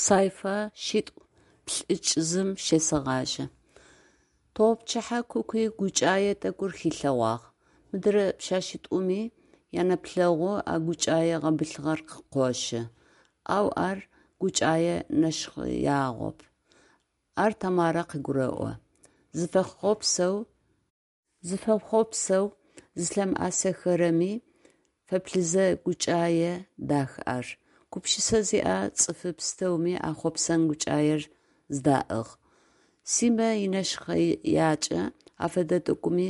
Сайфа шъитӏу-плӏыкӏзым щесэгъажьэ. Тыгъопчыхьэ Куки гукӏае тӏэкӏур хилъэгъуагъ. Мыдырэ пшъэшъитӏуми янэплъэгъу а гукӏае гъэбылъыгъэр къыкъощы. Ау ар гукӏае нэшхъэягъоп. Ар Тамарэ къыгурэӏо. Зыфэхъопсэу зылъымыӏэсыхэрэми фэплъызэ гукӏае дах ар. Гупшысэ зиӏэ цӏыфы пстэуми а хъопсэн гукӏаер зыдаӏыгъ. Симэ инэшхъэякӏэ афэдэ тӏэкӏуми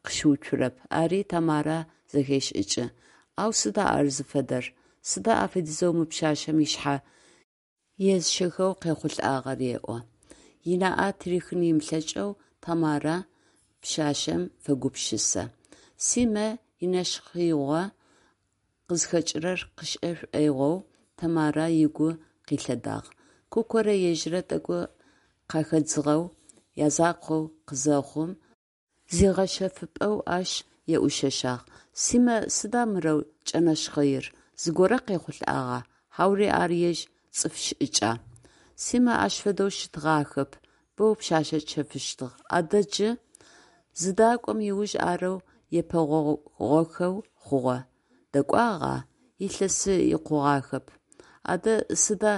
къыщыуцурэп, ари Тамарэ зэхешӏыкӏы. Ау сыда ар зыфэдэр, сыда афэдизэу мы пшъашъэм ышъхьэ езыщэхэу къехъулӏагъэр еӏо. Ынаӏэ тырихын ымылъэкӏэу Тамарэ пшъашъэм фэгупшысэ. Симэ инэшхъэигъо къызхэкӏырэр къышӏэ шӏоигъоу Тамарэ ыгу къилъэдагъ. Кукорэ ежьырэ тӏэкӏу къахэдзыгъэу, язакъоу къызэхъум, зигъэшъэфыпӏэу ащ еӏушъэшъагъ: «Симэ сыда мырэу кӏэнэшхъэир, зыгорэ къехъулӏагъа, хьаури ар ежь цӏыф шӏыкӏа?» Симэ ащ фэдэу щытыгъахэп, боу пшъашъэ чэфыщтыгъ, адэ джы? Зыдакӏом ыуж арэу епэгъогъохэу хъугъэ. Дэкӏуагъа? Илъэсы икъугъахэп. Адэ сыда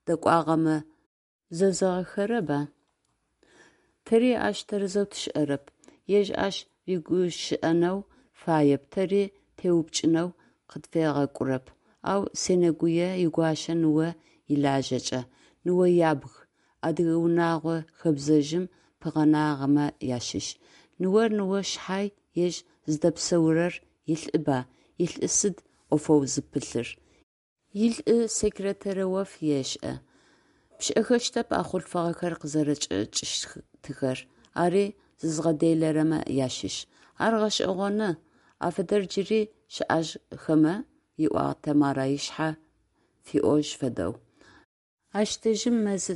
дэкӏуагъэмэ зэзэгъыхэрэба? Тэри ащ тэрэзэу тшӏэрэп. Ежь ащ рыгущыӏэнэу фаеп, тэри теупчӏынэу къытфегъэкӏурэп. Ау сенэгуе игуащэ ныо илажьэкӏэ. Ныо ябг, адыгэ унэгъо хэбзэжъым пыгъэнагъэмэ ащыщ. Ныор ныо шъхьай, ежь зыдэпсэурэр илӏыба, илӏы сыд ӏофэу зыпылъыр? Илӏы секретарэу ӏоф ешӏэ. Пшӏэхэщтэп а хъулъфыгъэхэр къызэрэчӏэкӏыщтыхэр, ари зызгъэделэрэмэ ащыщ. Ар гъэшӏэгъоны, афэдэр джыри щыӏэжьхэмэ, ыӏуагъ Тэмарэ ышъхьэ фиӏожь фэдэу. Ащ дэжьым мэзы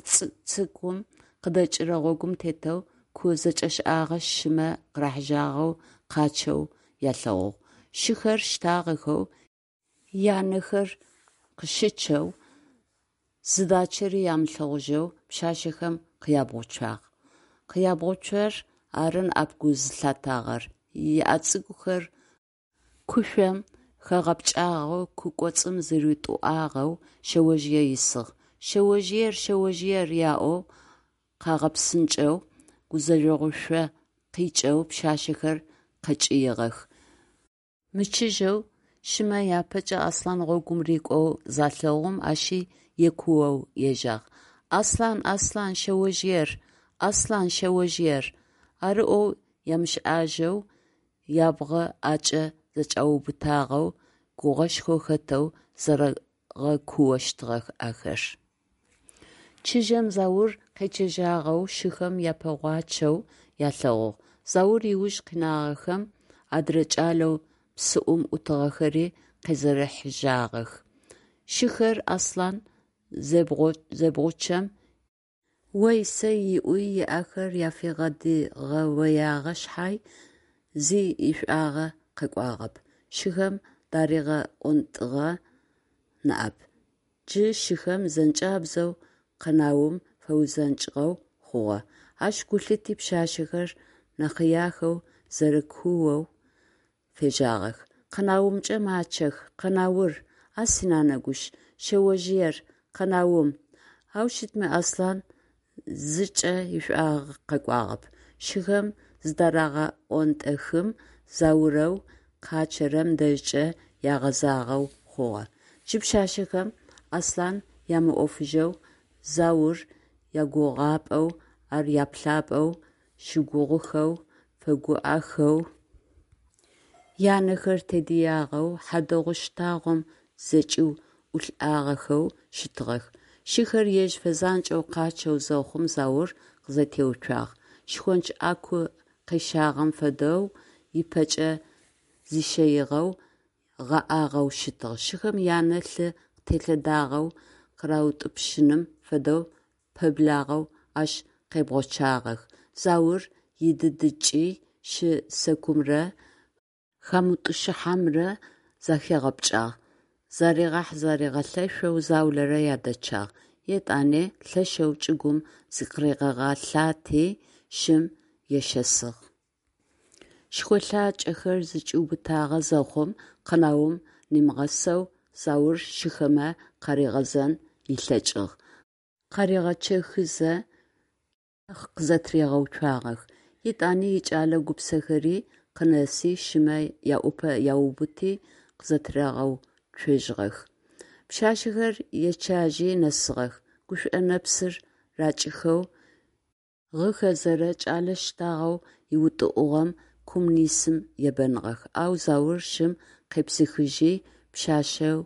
цӏыкӏум къыдэкӏырэ гъогум тетэу ку зэкӏэшӏагъэ шымэ къырахьыжьагъэу къачъэу ялъэгъугъ. Шыхэр щтагъэхэу, янэхэр къыщычъэу, зыдачъэри ямылъэгъужьэу пшъашъэхэм къябгъуцуагъ. Къябгъуцор ары ныӏэп гу зылъатагъэр: ыӏэ цӏыкӏухэр кушъом хэгъэпкӏагъэу ку кӏоцӏым зыритӏуагъэу шъэожъые исыгъ. Шъэожъыер, шъэожъыер! – аӏоу къагъэпсынкӏэу, гузэжъогъушъо къикӏэу пшъашъэхэр къэкӏыигъэх. Мычыжьэу, шымэ апэкӏэ Аслъан гъогум рыкӏоу залъэгъум, ащи екуоу ежьагъ: «Аслъан, Аслъан, шъэожъыер! Аслъан, шъэожъыер!» Ары ӏоу ямышӏэжьэу, ябгъэ ӏэкӏэ зэкӏаубытагъэу, гугъэшхо хэтэу зэрэгъэкуощтыгъэх ахэр. Чыжьэм Заур къечъэжьагъэу шыхэм япэгъочъэу ялъэгъугъ. Заур ыуж къинагъэхэм адрэ кӏалэу псыӏум ӏутыгъэхэри къезэрэхьыжьагъэх. Шыхэр Аслъан зебгъучъэм ой-сэй ыӏуи ыӏэхэр афигъэдигъэоягъэ шъхьай, зи ишӏуагъэ къэкӏуагъэп, шыхэм даригъэӏонтӏыгъ ныӏэп. Джы шыхэм зэнкӏабзэу къэнаум фэузэнкӏыгъэу хъугъэ. Ащ гу лъити пшъашъэхэр нэхъыяхэу зэрэкуоу фежьагъэх: «Къэнаумкӏэ мачъэх, къэнаур, а синанэ гущ, шъэожъыер, къэнаум!» Ау щытми Аслъан зыкӏэ ишӏуагъэ къэкӏуагъэп. Шыхэм зыдарагъэӏонтӏэхым, Заурэу къачъэрэм дэжькӏэ ягъэзагъэу хъугъэ. Джы пшъашъэхэм Аслъан ямыӏофыжьэу, Заур ягугъапӏэу, ар яплъапӏэу, щыгугъыхэу, фэгуӏэхэу, янэхэр тедыягъэу, хьадэгъу щтагъом зэкӏиуӏулӏагъэхэу щытыгъэх. Шыхэр ежь фэзанкӏэу къачъэу зэхъум Заур къызэтеуцуагъ, шхонч ӏаку къещагъэм фэдэу ыпэкӏэ зищэигъэу, гъэӏагъэу щытыгъ. Шыхэм янэ лъы къытелъэдагъэу къыраутӏупщыным фэдэу пэблагъэу ащ къебгъучъагъэх. Заур идыдыкӏи шы сэкумрэ хамытӏущыхьэмрэ захигъэпкӏагъ, заригъэхь-заригъэлъэшъоу заулэрэ ядэчъагъ. Етӏани лъэшэу чӏыгум зыкъыригъэлъати, шым ешэсыгъ. Шхолъачӏэхэр зэкӏиубытагъэ зэхъум, къэнаум нимыгъэсэу Заур шыхэмэ къаригъэзэн ылъэкӏыгъ, къаригъэчъэхызэ къызэтыригъэуцуагъэх. Етӏани икӏэлэ гупсэхэри къынэси шымэ яӏупэ аубыти къызэтырагъэуцожьыгъэх. Пшъашъэхэр ечъажьи нэсыгъэх, гушӏо нэпсыр ракӏыхэу гъыхэзэрэ кӏэлэ щтагъэу ыутӏыӏугъэм кум нисым ебэныгъэх, ау Заур шым къепсыхыжьи пшъашъэу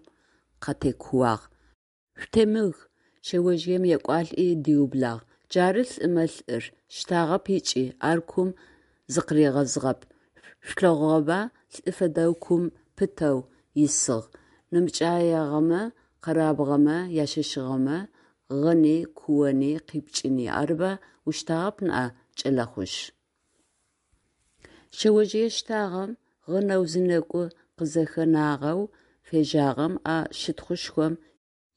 къатекууагъ: «Шъутемыг!» Шъэожъыем екӏуалӏи диублагъ: «Джары лӏымэ лӏыр, щтагъэп ыкӏи, ар кум зыкъыригъэзыгъэп, шъулъэгъугъэба, лӏы фэдэу кум пытэу исыгъ, нэмыкӏыягъэмэ, къэрабгъэмэ яшэсыгъэмэ, гъыни, куони къипкӏыни, арыба, ущтагъэп ныӏа, кӏэлэхъужъ?» Шъэожъые щтагъэм, гъынэу зынэгу къызэхэнагъэу фежьагъэм а щытхъушхом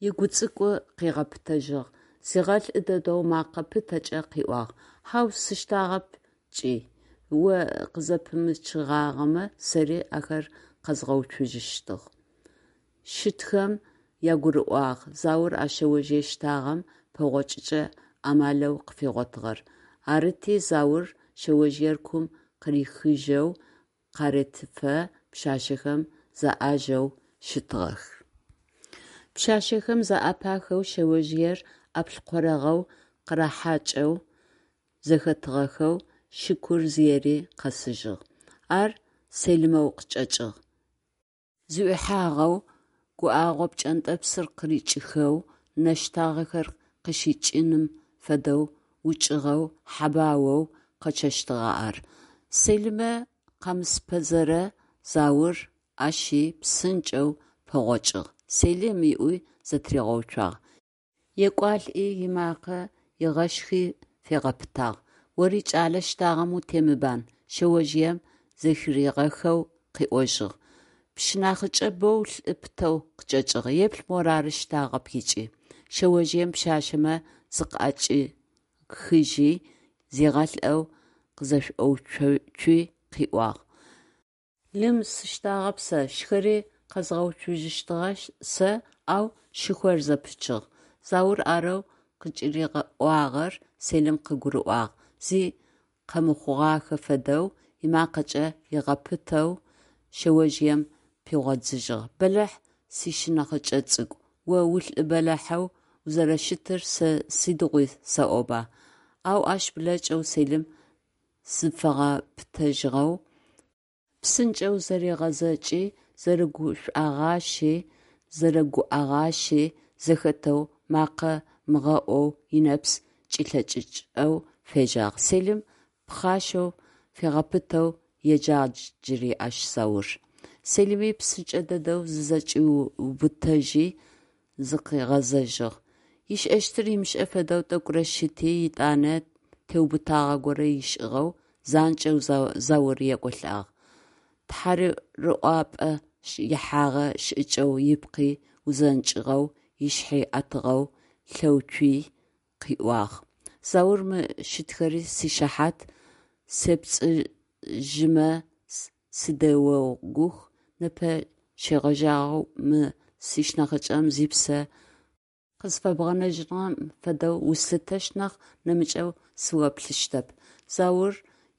ыгу цӏыкӏу къыгъэпытэжьыгъ, зигъэлӏы дэдэу мэкъэ пытэкӏэ къыӏуагъ: «Хьау, сыщтагъэп ыкӏи, о къызэпымычыгъагъэмэ, сэри ахэр къэзгъэуцужьыщтыгъ». Щытхэм ягурыӏуагъ Заур а шъэожъые щтагъэм пэгъокӏыкӏэ амалэу къыфигъотыгъэр. Арыти, Заур шъэожъыер кум къырихыжьэу къаретыфэ пшъашъэхэм заӏажэу щытыгъэх. Пшъашъэхэм зэӏэпахэу шъэожъыер ӏаплӏкъорэгъэу къырахьакӏэу зэхэтыгъэхэу шыкур зыери къэсыжьыгъ. Ар Селимэу къычӏэкӏыгъ. Зыӏуихьагъэу, гуӏэгъо пкӏэнтӏэпсыр къырикӏыхэу, нэ щтагъэхэр къыщикӏыным фэдэу укӏыгъэу, хьэбаоу къачъэщтыгъэ ар. Селимэ къэмысыпэзэрэ Заур ащи псынкӏэу пэгъокӏыгъ, «Селим!» ыӏуи зэтыригъэуцуагъ. Екӏуалӏи ымакъэ ыгъэшхи фигъэпытагъ: «Ори кӏэлэ щтагъэм утемыбан!» Шъэожъыем зэхыригъэхэу къыӏожьыгъ: «Пшынахьыкӏэ боу лӏы пытэу къычӏэкӏыгъ, еплъ морары щтагъэп ыкӏи!» Шъэожъыем пшъашъэмэ зыкъыӏэкӏихыжьи, зигъэлӏэу къызэшӏоуцуи къыӏуагъ: «Лым, сыщтагъэп сэ, шыхэри къэзгъэуцужьыщтыгъэ сэ, ау шыхор зэпычыгъ». Заур арэу къыкӏыриӏуагъэр Селим къыгурыӏуагъ, зи къэмыхъугъахэ фэдэу, ымакъэкӏэ ыгъэпытэу шъэожъыем пигъодзыжьыгъ: «Бэлахь сшынахьыкӏэ цӏыкӏу, о улӏы бэлахьэу узэрэщытыр сэ сыдигъуи сэӏоба!» Ау ащ блэкӏэу Селим зыфигъэпытэжьыгъэу, псынкӏэу зэригъэзэкӏи, зэрэгушӏогъащи, зэрэгуӏэгъащи зэхэтэу, макъэ мыгъэӏоу ынэпс кӏилъэкӏыкӏэу фежьагъ. Селим пхъашэу фигъэпытэу еджагъ джыри ащ Заур. Селими псынкӏэ дэдэу зызэкӏиубытэжьи зыкъигъэзэжьыгъ. Ышӏэщтыр ымышӏэ фэдэу тӏэкӏурэ щыти, етӏанэ теубытагъэ горэ ышӏыгъэу занкӏэу Заур екӏолӏагъ. Тхьарыӏуапӏэ ихьагъэ шӏыкӏэу ыпкъи узэнкӏыгъэу, ышъхьи ӏэтыгъэу лъэуцуи къыӏуагъ: «Заур, мы щытхэри сишыхьат, сепцӏыжьымэ сыдеогух, непэ щегъэжьагъэу мы сшынахьыкӏэм зипсэ къызфэбгъэнэжьыгъэм фэдэу услъытэщт нахь, нэмыкӏэу сыоплъыщтэп». Заур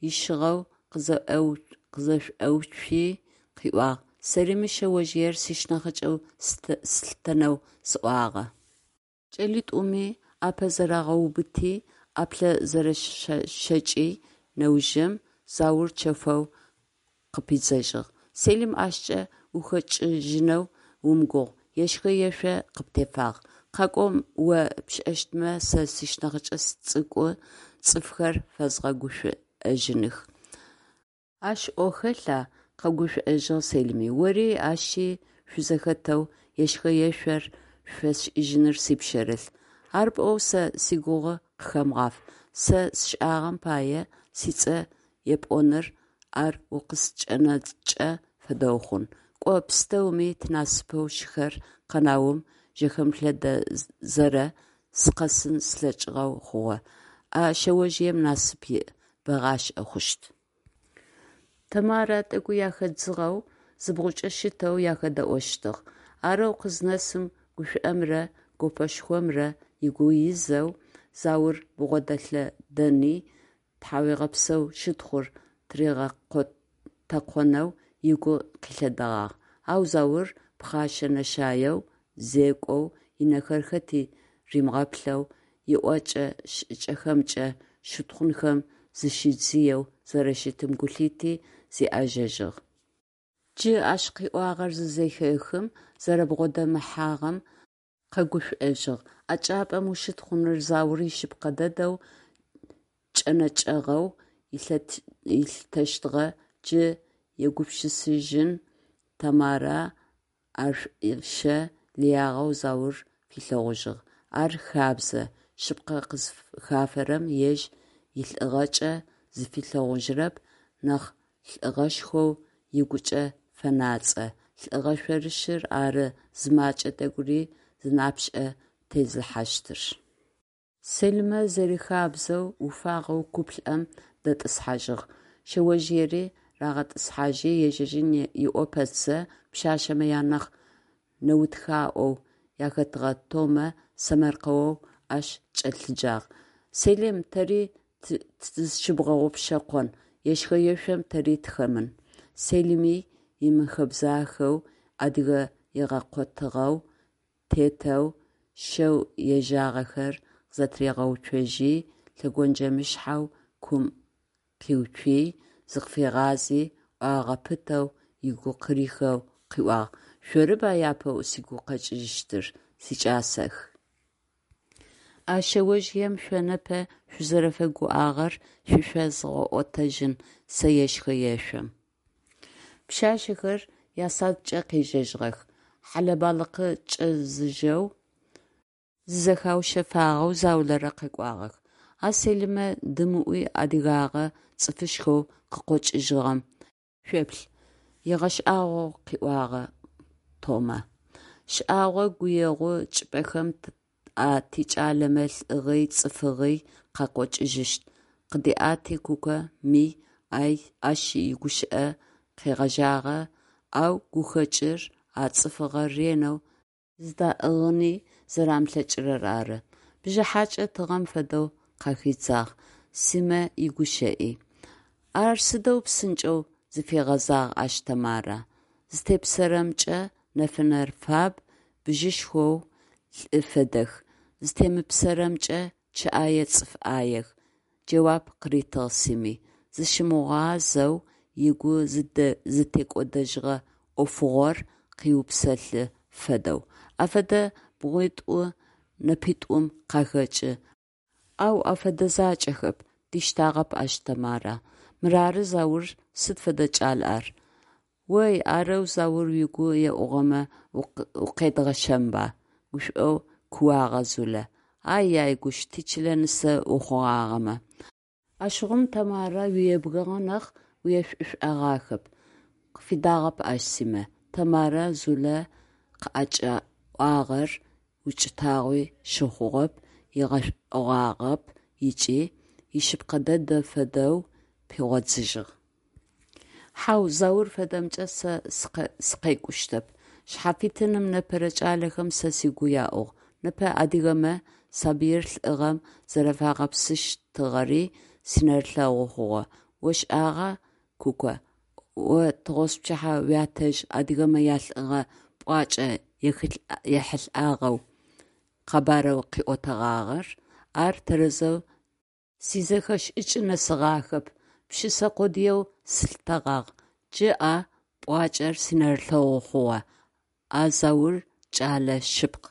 ищыгъэу къызэшӏоуцуи къыӏуагъ: «Сэри мы шъэожъыер сшынахьыкӏэу слъытэнэу сӏуагъэ». Кӏэлитӏуми ӏапэ зэрагъэубыти, ӏаплӏэ зэрэщэкӏи нэужым, Заур чэфэу къыпидзэжьыгъ: «Селим, ащкӏэ ухэкӏыжьынэу умыгугъ, ешхэ-ешъо къыптефагъ. Къакӏо о пшӏэщтмэ, сэ сшынахьыкӏэ цӏыкӏу цӏыфхэр фэзгъэгушӏожьыных». «Ащ ӏо хэлъа?» – къэгушӏожьыгъ Селими. «Ори, ащи шъузэхэтэу ешхэ-ешъор шъуфэсшӏыжьыныр сипшъэрылъ». «Ар пӏоу сэ сигугъу къыхэмыгъаф, сэ сшӏагъэм пае сицӏэ епӏоныр ар укъыскӏэнэкӏэ фэдэу хъун. Кӏо, пстэуми тинасыпэу шыхэр къэнаум жэхэмылъэдэзэрэ сыкъэсын слъэкӏыгъэу хъугъэ. А шъэожъыем насып иӏ, бэгъашӏэ хъущт. Тэмарэ тӏэкӏу яхэдзыгъэу зыбгъукӏэ щытэу яхэдэӏощтыгъ. Арэу къызнэсым гушӏомрэ гопэшхомрэ ыгу изэу Заур бгъодэлъэдэни, тхьауегъэпсэу щытхъур тыригъэтэкъонэу ыгу къилъэдэгъагъ, ау Заур пхъэшэ-нэшаеу зекӏоу, ынэхэр хэти римыгъэплъэу, иӏокӏэ-шӏыкӏэхэмкӏэ щытхъунхэм зыщидзыеу зэрэщытым гу лъити, зиӏэжэжьыгъ. Джы ащ къыӏуагъэр зызэхехым, зэрэбгъодэмыхьагъэм къэгушӏожьыгъ. А чӏыпӏэм ущытхъуныр Заур ишъыпкъэ дэдэу кӏэнэкӏагъэу ылъытэщтыгъэ, джы егупшысэжьын Тэмарэ ар шӏушӏэ лыягъэу Заур филъэгъужьыгъ. Ар хабзэ, шъыпкъэ къызхафэрэм ежь илӏыгъэкӏэ зыфилъэгъужьырэп, нахь лӏыгъэшхоу ыгукӏэ фэнацӏэ, лӏыгъэ шъорышӏыр ары зымакӏэ тӏэкӏури зынапшӏэ тезылъхьащтыр. Сэлымэ зэрихабзэу уфагъэу куплӏэм дэтӏысхьажьыгъ. Шъэожъыери рагъэтӏысхьажьи, ежьэжьын ыӏо пэтзэ, пшъашъэмэ анахь нэутхаӏоу ахэтыгъэ Томэ сэмэркъэоу ащ кӏэлъыджагъ: «Селим, тэри тызщыбгъэгъупшэкъон, ешхэ-ешъом тэри тыхэмын». Сэлыми имыхэбзахэу, адыгэ игъэкъотыгъэу тетэу шэу ежьагъэхэр къызэтыригъэуцожьи, лъэгонджэмышъхьэу кум къиуцуи, зыкъыфигъази, ӏуагъэ пытэу, ыгу къырихэу къыӏуагъ: «Шъорыба апэу сыгу къэкӏыжьыщтыр, сикӏасэх. А шъэожъыем шъо непэ шъузэрэфэгуӏагъэр шъуфэзгъэӏотэжьын сэ ешхэ-ешъом». Пшъашъэхэр ясадкӏэ къежьэжьыгъэх. Хьэлэ-балыкъы кӏэзыжьэу, зызэхаушъэфагъэу заулэрэ къэкӏуагъэх. «А Сэлымэ дымыӏуи адыгагъэ, цӏыфышхоу къыкъокӏыжьыгъэм шъуеплъ!» – ыгъэшӏагъоу къыӏуагъ Томэ. «Шӏагъо гуегъу чӏыпӏэхэм а тикӏалэмэ лӏыгъи цӏыфыгъи къакъокӏыжьыщт», – къыдиӏэти Куко ми ащ игущыӏэ къегъэжьагъэ, ау гухэкӏыр а цӏыфыгъэр ренэу зыдаӏыгъыни зэрамылъэкӏырэр ары. Бжыхьакӏэ тыгъэм фэдэу къахидзагъ Симэ игущыӏи. Ар сыдэу псынкӏэу зыфигъэзагъ ащ Тэмарэ. Зытепсэрэмкӏэ нэфынэр фаб, бжьышхоу лӏы фэдэх, зытемыпсэрэмкӏэ чъыӏае цӏыф ӏаех, джэуап къыритыгъ Сими, зыщымыгъуазэу ыгу зытекӏодэжьыгъэ ӏофыгъор къыупсэлъы фэдэу. Афэдэ бгъуитӏу нэпитӏум къахэкӏы, ау афэдэ закӏэхэп, диштагъэп ащ Тэмарэ. Мырары Заур сыд фэдэ кӏал ар? Ой, арэу Заур угу еӏугъэмэ укъедгъэщэнба! – гушӏоу кууагъэ Зулэ. А-яй гущ, тичылэ нысэ ухъугъагъэмэ. Ащыгъум Тэмарэ уебгыгъэ нахь, уешӏушӏэгъахэп, – къыфидагъэп ащ Симэ. Тэмарэ Зулэ къыӏэкӏэӏуагъэр укӏытагъуи щыхъугъэп, ыгъэшӏэгъуагъэп ыкӏи, ишъыпкъэ дэдэ фэдэу пигъодзыжьыгъ. Хьау, Заур фэдэмкӏэ сэ сыкъекӏущтэп. Шъхьафитыным непэрэ кӏалэхэм сэ сыгу яӏугъ. Непэ адыгэмэ сабыир лӏыгъэм зэрэфагъэпсыщтыгъэри синэрылъэгъу хъугъэ. Ошӏагъа, Куко, о тыгъоспчыхьэ уятэжъ адыгэмэ ялӏыгъэ пӏуакӏэ ехьылӏагъэу къэбарэу къыӏотэгъагъэр? Ар тэрэзэу сизэхэшӏыкӏ нэсыгъахэп, пшысэ къодыеу слъытэгъагъ, джы а пӏуакӏэр синэрылъэгъу хъугъэ, а Заур кӏэлэ шъыпкъ.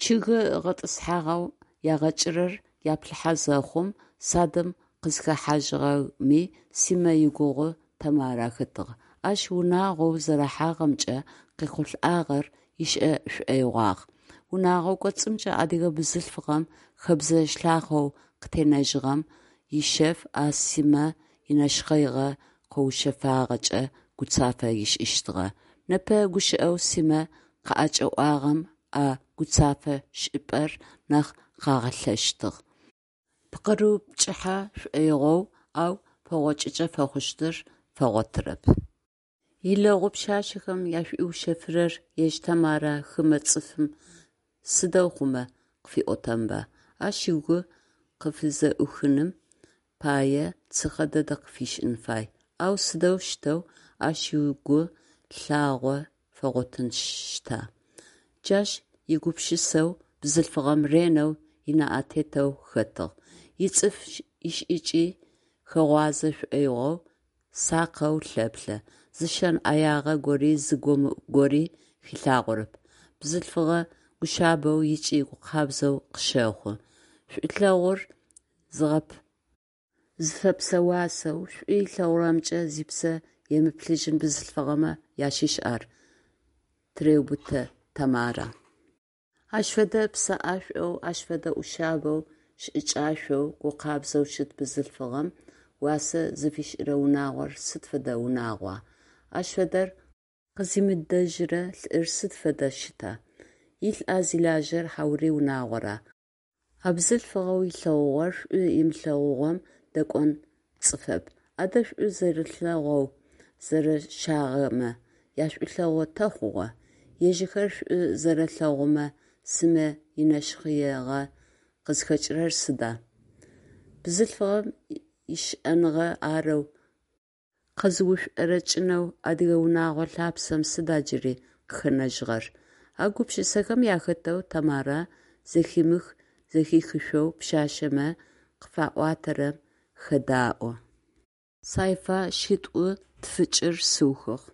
Чъыгы гъэтӏысхьагъэу ягъэкӏырэр яплъыхьэ зэхъум, садым къызхэхьажьыгъэми Симэ игугъу Тэмарэ хэтыгъ. Ащ унагъоу зэрыхьагъэмкӏэ къехъулӏагъэр ышӏэ шӏоигъуагъ. Унэгъо кӏоцӏымкӏэ адыгэ бзылъфыгъэм хэбзэ лъахъэу къытенэжьыгъэм ишъэф а Симэ инэшхъэигъэ къэушъэфагъэкӏэ гуцафэ ышӏыщтыгъэ. Непэ гущыӏэу Симэ къыӏэкӏэӏуагъэм а гуцафэ шӏыпӏэр нахь къагъэлъэшыщтыгъ. Пкъырыупкӏыхьэ шӏоигъоу, ау пэгъокӏыкӏэ фэхъущтыр фэгъотырэп. Илэгъу пшъашъэхэм яшӏуиушъэфырэр ежь Тэмарэ хымэ цӏыфым сыдэу хъумэ къыфиӏотэнба? Ащ ыгу къыфызэӏуихыным пае цыхьэ дэдэ къыфишӏын фай. Ау сыдэущтэу ащ ыгу лъагъо фэгъотыщта? Джащ егупшысэу бзылъфыгъэм ренэу ынаӏэ тетэу хэтыгъ. Ицӏыф ишӏыкӏи хэгъуазэ шӏоигъоу сакъэу лъэплъэ, зы шэн ӏэягъэ гори зы гомыӏу гори хилъагъорэп. Бзылъфыгъэ гушъабэу ыкӏи гукъабзэу къыщэхъу. Шӏулъэгъур зыфэпсэуасэу, шӏу ылъэгъурэмкӏэ зипсэ емыблэжьын бзылъфыгъэмэ ащыщ ар, тыреубытэ Тэмарэ. Ащ фэдэ псэӏэшӏоу, ащ фэдэ ӏушъабэу, шӏыкӏашӏоу, гукъабзэу щыт бзылъфыгъэм уасэ зыфишӏырэ унагъор сыд фэдэ унагъуа? Ащ фэдэр къызимыдэжьырэ лӏыр сыд фэдэ щыта? Илӏа зилажьэр хьаури унагъора? А бзылъфыгъэу ылъэгъугъэр шӏу ымылъэгъугъэм дэкӏон цӏыфэп. Адэ шӏу зэрэлъэгъоу зэрэщагъэмэ яшӏулъэгъу тэ хъугъэ? Ежьыхэр шӏу зэрэлъэгъумэ Симэ инэшхъэигъэ къызхэкӏырэр сыда? Бзылъфыгъэм ищыӏэныгъэ арэу къэзыушӏорэкӏынэу адыгэ унэгъо лъапсэм сыда джыри къыхэнэжьыгъэр? А гупшысэхэм ахэтэу Тэмарэ зэхимых-зэхихышъоу пшъашъэмэ къыфаӏуатэрэм хэдаӏо. Сайфа шитӏу-тфыкӏыр сыухыгъ.